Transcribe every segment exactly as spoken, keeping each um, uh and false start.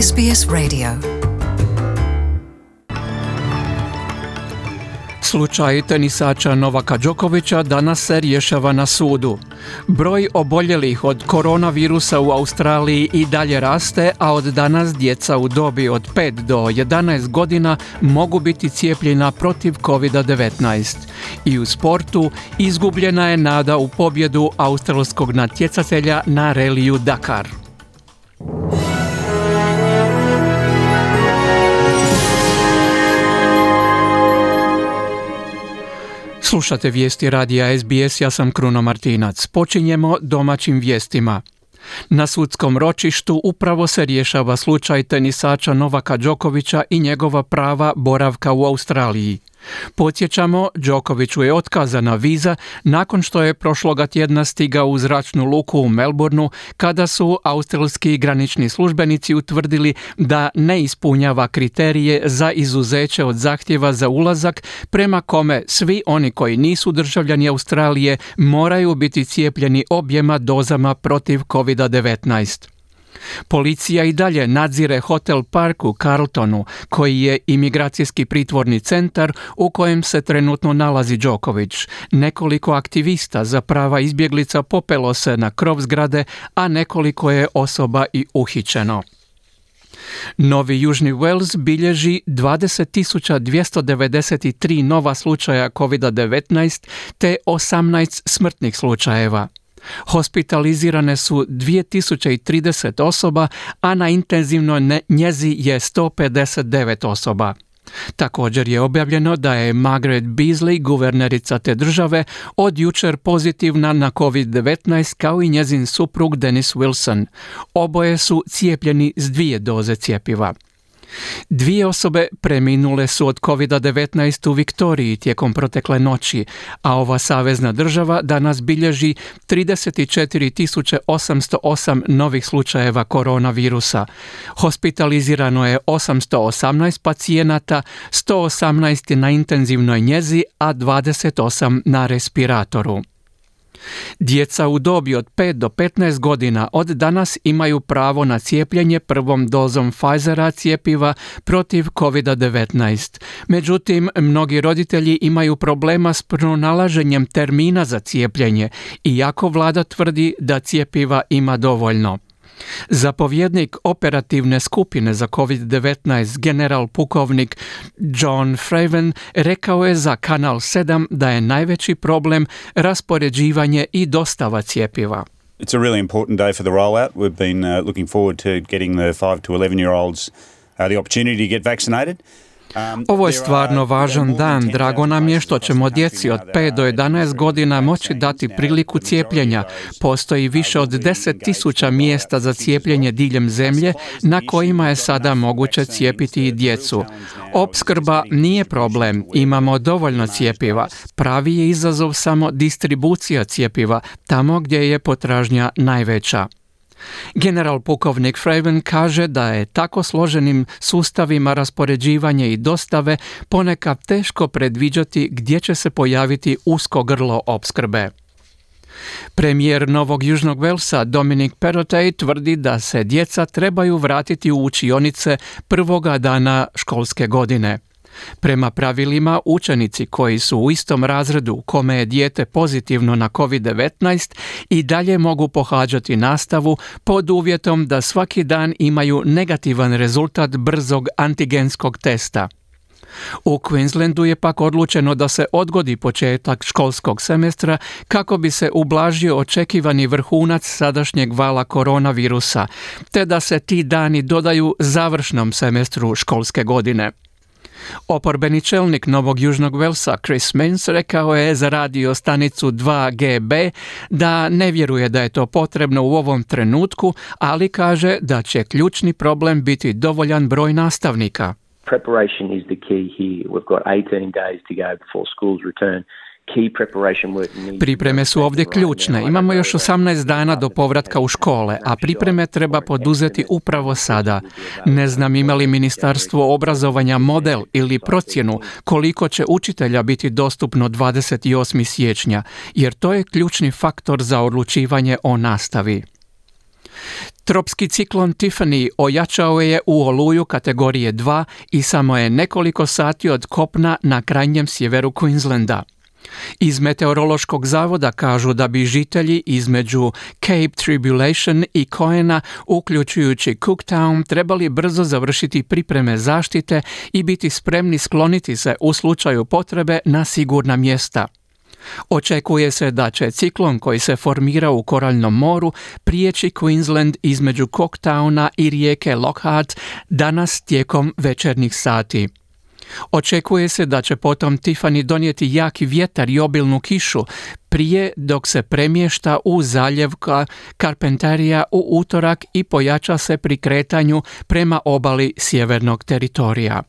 S B S Radio. Slučaj tenisača Novaka Đokovića danas se rješava na sudu. Broj oboljelih od koronavirusa u Australiji i dalje raste, a od danas djeca u dobi od pet do jedanaest godina mogu biti cijepljena protiv kovid devetnaest. I u sportu izgubljena je nada u pobjedu australskog natjecatelja na reliju Dakar. Slušate vijesti radija S B S, ja sam Kruno Martinac. Počinjemo domaćim vijestima. Na sudskom ročištu upravo se rješava slučaj tenisača Novaka Đokovića i njegova prava boravka u Australiji. Podsjećamo, Đokoviću je otkazana viza nakon što je prošloga tjedna stigao u zračnu luku u Melbourneu kada su australski granični službenici utvrdili da ne ispunjava kriterije za izuzeće od zahtjeva za ulazak prema kome svi oni koji nisu državljani Australije moraju biti cijepljeni objema dozama protiv kovid devetnaest. Policija i dalje nadzire hotel Park u Carltonu, koji je imigracijski pritvorni centar u kojem se trenutno nalazi Đoković. Nekoliko aktivista za prava izbjeglica popelo se na krov zgrade, a nekoliko je osoba i uhićeno. Novi Južni Wales bilježi dvadeset tisuća dvjesto devedeset tri nova slučaja kovid devetnaest te osamnaest smrtnih slučajeva. Hospitalizirane su dvije tisuće trideset osoba, a na intenzivnoj njezi je sto pedeset devet osoba. Također je objavljeno da je Margaret Beazley, guvernerica te države, od jučer pozitivna na kovid devetnaest kao i njezin suprug Dennis Wilson. Oboje su cijepljeni s dvije doze cjepiva. Dvije osobe preminule su od kovid devetnaest u Viktoriji tijekom protekle noći, a ova savezna država danas bilježi trideset četiri tisuće osamsto osam novih slučajeva koronavirusa. Hospitalizirano je osamsto osamnaest pacijenata, sto osamnaest na intenzivnoj njezi, a dvadeset osam na respiratoru. Djeca u dobi od pet do petnaest godina od danas imaju pravo na cijepljenje prvom dozom Pfizera cjepiva protiv kovid devetnaest. Međutim, mnogi roditelji imaju problema s pronalaženjem termina za cijepljenje, iako vlada tvrdi da cjepiva ima dovoljno. Zapovjednik operativne skupine za kovid devetnaest, general pukovnik John Fraven, rekao je za Kanal sedam da je najveći problem raspoređivanje i dostava cjepiva. It's a really important day for the rollout. We've been uh, looking forward to getting the five to eleven year olds uh, the opportunity to get vaccinated. Ovo je stvarno važan dan. Drago nam je što ćemo djeci od pet do jedanaest godina moći dati priliku cijepljenja. Postoji više od deset tisuća mjesta za cijepljenje diljem zemlje na kojima je sada moguće cijepiti i djecu. Opskrba nije problem, imamo dovoljno cjepiva. Pravi je izazov samo distribucija cjepiva, tamo gdje je potražnja najveća. General pukovnik Fraven kaže da je tako složenim sustavima raspoređivanja i dostave ponekad teško predviđati gdje će se pojaviti usko grlo opskrbe. Premijer Novog Južnog Walesa Dominic Perrottet tvrdi da se djeca trebaju vratiti u učionice prvoga dana školske godine. Prema pravilima, učenici koji su u istom razredu kome je dijete pozitivno na kovid devetnaest i dalje mogu pohađati nastavu pod uvjetom da svaki dan imaju negativan rezultat brzog antigenskog testa. U Queenslandu je pak odlučeno da se odgodi početak školskog semestra kako bi se ublažio očekivani vrhunac sadašnjeg vala koronavirusa, te da se ti dani dodaju završnom semestru školske godine. Oporbeni čelnik Novog Južnog Walesa Chris Minns rekao je za radio stanicu dva G B da ne vjeruje da je to potrebno u ovom trenutku, ali kaže da će ključni problem biti dovoljan broj nastavnika. Preparation is the key here. We've got eighteen days to go before schools return. Pripreme su ovdje ključne. Imamo još osamnaest dana do povratka u škole, a pripreme treba poduzeti upravo sada. Ne znam ima li Ministarstvo obrazovanja model ili procjenu koliko će učitelja biti dostupno dvadeset osmog siječnja, jer to je ključni faktor za odlučivanje o nastavi. Tropski ciklon Tiffany ojačao je u oluju kategorije dva i samo je nekoliko sati od kopna na krajnjem sjeveru Queenslanda. Iz meteorološkog zavoda kažu da bi žitelji između Cape Tribulation i Coena, uključujući Cooktown, trebali brzo završiti pripreme zaštite i biti spremni skloniti se u slučaju potrebe na sigurna mjesta. Očekuje se da će ciklon koji se formira u Koraljnom moru prijeći Queensland između Cooktowna i rijeke Lockhart danas tijekom večernjih sati. Očekuje se da će potom Tiffany donijeti jaki vjetar i obilnu kišu prije dok se premješta u zaljev Carpentaria u utorak i pojača se pri kretanju prema obali sjevernog teritorija.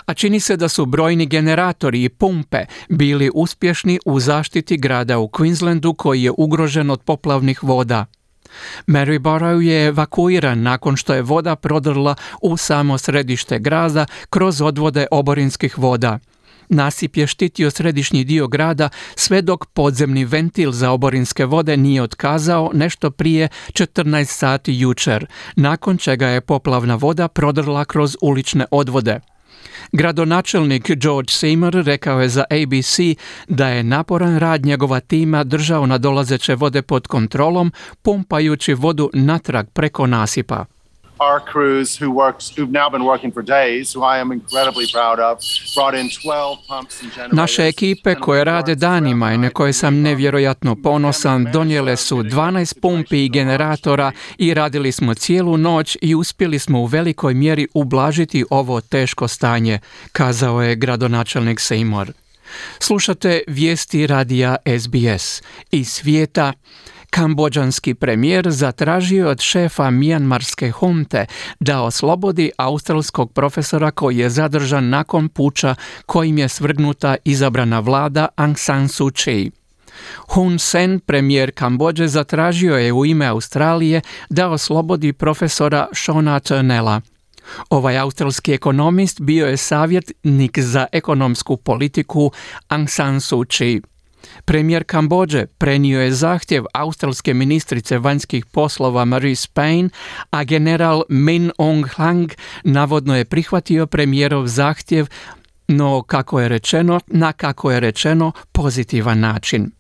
A čini se da su brojni generatori i pumpe bili uspješni u zaštiti grada u Queenslandu koji je ugrožen od poplavnih voda. Maryborough je evakuiran nakon što je voda prodrla u samo središte grada kroz odvode oborinskih voda. Nasip je štitio središnji dio grada sve dok podzemni ventil za oborinske vode nije otkazao nešto prije četrnaest sati jučer, nakon čega je poplavna voda prodrla kroz ulične odvode. Gradonačelnik George Seymour rekao je za A B C da je naporan rad njegova tima držao nadolazeće vode pod kontrolom, pumpajući vodu natrag preko nasipa. Our crews who works, who've now been working for days, who I am incredibly proud of, brought in twelve pumps and generators. Naše ekipe koje rade danima i na koje sam nevjerojatno ponosan donijele su dvanaest pumpi i generatora i radili smo cijelu noć i uspjeli smo u velikoj mjeri ublažiti ovo teško stanje, kazao je gradonačelnik Seymour. Slušate vijesti radija S B S. Iz svijeta. Kambodžanski premijer zatražio od šefa mijanmarske hunte da oslobodi australskog profesora koji je zadržan nakon puča kojim je svrgnuta izabrana vlada Aung San Suu Kyi. Hun Sen, premijer Kambodže, zatražio je u ime Australije da oslobodi profesora Shona Turnella. Ovaj australski ekonomist bio je savjetnik za ekonomsku politiku Aung San Suu Kyi. Premijer Kambodže prenio je zahtjev australske ministrice vanjskih poslova Marise Payne, a general Min Aung Hlaing navodno je prihvatio premijerov zahtjev, no kako je rečeno, na kako je rečeno pozitivan način.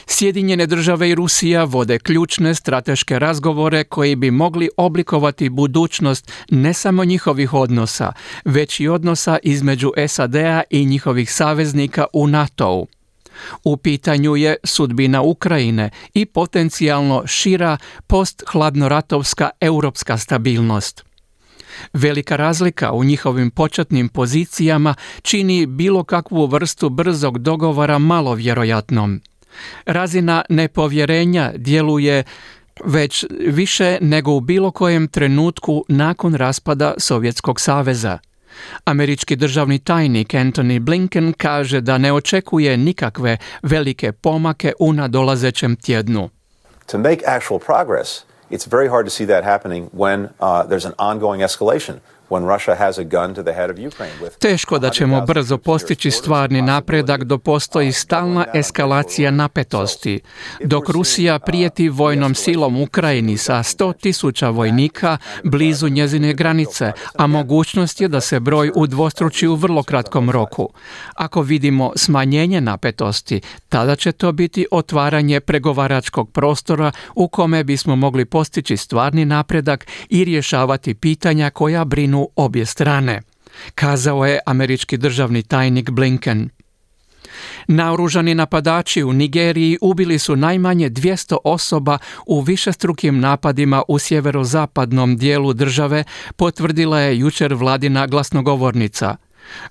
Sjedinjene države i Rusija vode ključne strateške razgovore koji bi mogli oblikovati budućnost ne samo njihovih odnosa, već i odnosa između S A D-a i njihovih saveznika u NATO-u. U pitanju je sudbina Ukrajine i potencijalno šira post-hladnoratovska europska stabilnost. Velika razlika u njihovim početnim pozicijama čini bilo kakvu vrstu brzog dogovora malo vjerojatnom. Razina nepovjerenja djeluje već više nego u bilo kojem trenutku nakon raspada Sovjetskog saveza. Američki državni tajnik Antony Blinken kaže da ne očekuje nikakve velike pomake u nadolazećem tjednu. To make actual progress, it's very hard to see that happening when uh, there's an ongoing escalation. Teško da ćemo brzo postići stvarni napredak dok postoji stalna eskalacija napetosti. Dok Rusija prijeti vojnom silom Ukrajini sa sto tisuća vojnika blizu njezine granice, a mogućnost je da se broj udvostruči u vrlo kratkom roku. Ako vidimo smanjenje napetosti, tada će to biti otvaranje pregovaračkog prostora u kome bismo mogli postići stvarni napredak i rješavati pitanja koja brinu obje strane, kazao je američki državni tajnik Blinken. Naoružani napadači u Nigeriji ubili su najmanje dvjesto osoba u višestrukim napadima u sjeverozapadnom dijelu države, potvrdila je jučer vladina glasnogovornica.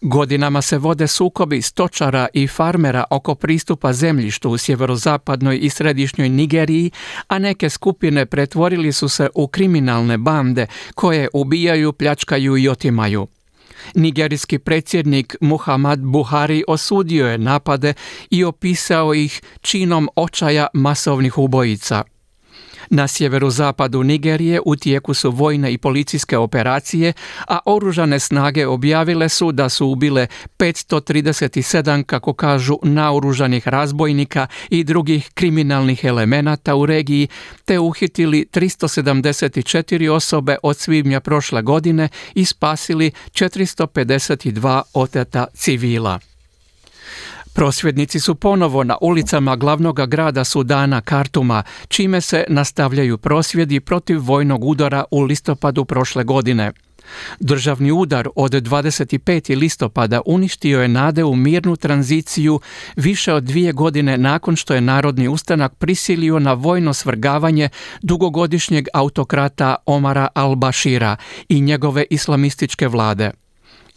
Godinama se vode sukobi stočara i farmera oko pristupa zemljištu u sjeverozapadnoj i središnjoj Nigeriji, a neke skupine pretvorili su se u kriminalne bande koje ubijaju, pljačkaju i otimaju. Nigerijski predsjednik Muhammad Buhari osudio je napade i opisao ih činom očaja masovnih ubojica. Na sjeverozapadu Nigerije u tijeku su vojne i policijske operacije, a oružane snage objavile su da su ubile petsto trideset sedam, kako kažu, naoružanih razbojnika i drugih kriminalnih elemenata u regiji, te uhitili tristo sedamdeset četiri osobe od svibnja prošle godine i spasili četiristo pedeset dva oteta civila. Prosvjednici su ponovo na ulicama glavnog grada Sudana, Kartuma, čime se nastavljaju prosvjedi protiv vojnog udara u listopadu prošle godine. Državni udar od dvadeset petog listopada uništio je nade u mirnu tranziciju više od dvije godine nakon što je Narodni ustanak prisilio na vojno svrgavanje dugogodišnjeg autokrata Omara al-Bashira i njegove islamističke vlade.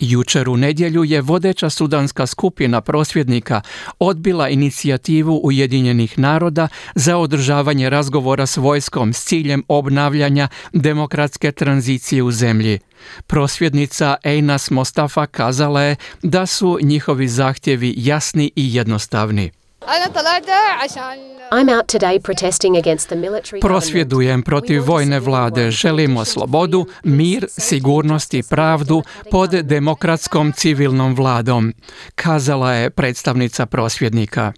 Jučer u nedjelju je vodeća sudanska skupina prosvjednika odbila inicijativu Ujedinjenih naroda za održavanje razgovora s vojskom s ciljem obnavljanja demokratske tranzicije u zemlji. Prosvjednica Einas Mostafa kazala je da su njihovi zahtjevi jasni i jednostavni. I'm out today protesting against the military. Prosvjedujem protiv vojne vlade. Želimo slobodu, mir, sigurnost i pravdu pod demokratskom civilnom vladom, kazala je predstavnica prosvjednika.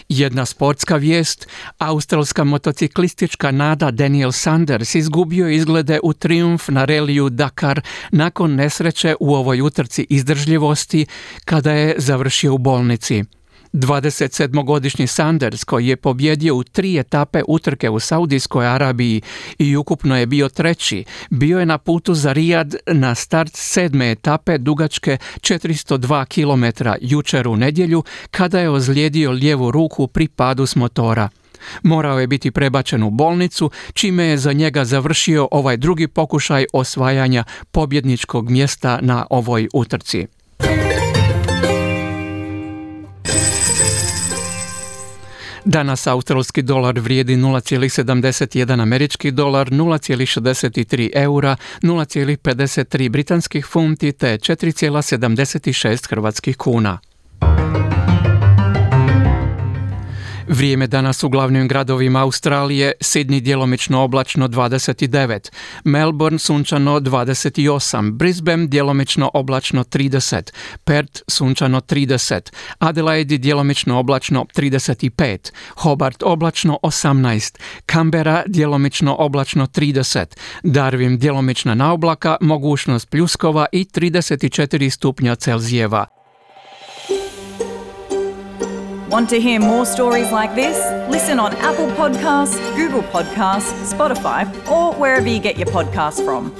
Jedna sportska vijest, australska motociklistička nada Daniel Sanders izgubio izglede u trijumf na reliju Dakar nakon nesreće u ovoj utrci izdržljivosti kada je završio u bolnici. dvadesetsedmogodišnji Sanders, koji je pobjedio u tri etape utrke u Saudijskoj Arabiji i ukupno je bio treći, bio je na putu za Rijad na start sedme etape dugačke četiristo dva kilometra jučer u nedjelju kada je ozlijedio lijevu ruku pri padu s motora. Morao je biti prebačen u bolnicu, čime je za njega završio ovaj drugi pokušaj osvajanja pobjedničkog mjesta na ovoj utrci. Danas australski dolar vrijedi nula zarez sedamdeset jedan američki dolar, nula zarez šezdeset tri eura, nula zarez pedeset tri britanskih funti te četiri zarez sedamdeset šest hrvatskih kuna. Vrijeme danas u glavnim gradovima Australije: Sydney djelomično oblačno dvadeset devet, Melbourne sunčano dvadeset osam, Brisbane djelomično oblačno trideset, Perth sunčano trideset, Adelaide djelomično oblačno trideset pet, Hobart oblačno osamnaest, Canberra djelomično oblačno trideset, Darwin djelomična naoblaka, mogućnost pljuskova i trideset četiri stupnja Celzijeva. Want to hear more stories like this? Listen on Apple Podcasts, Google Podcasts, Spotify, or wherever you get your podcasts from.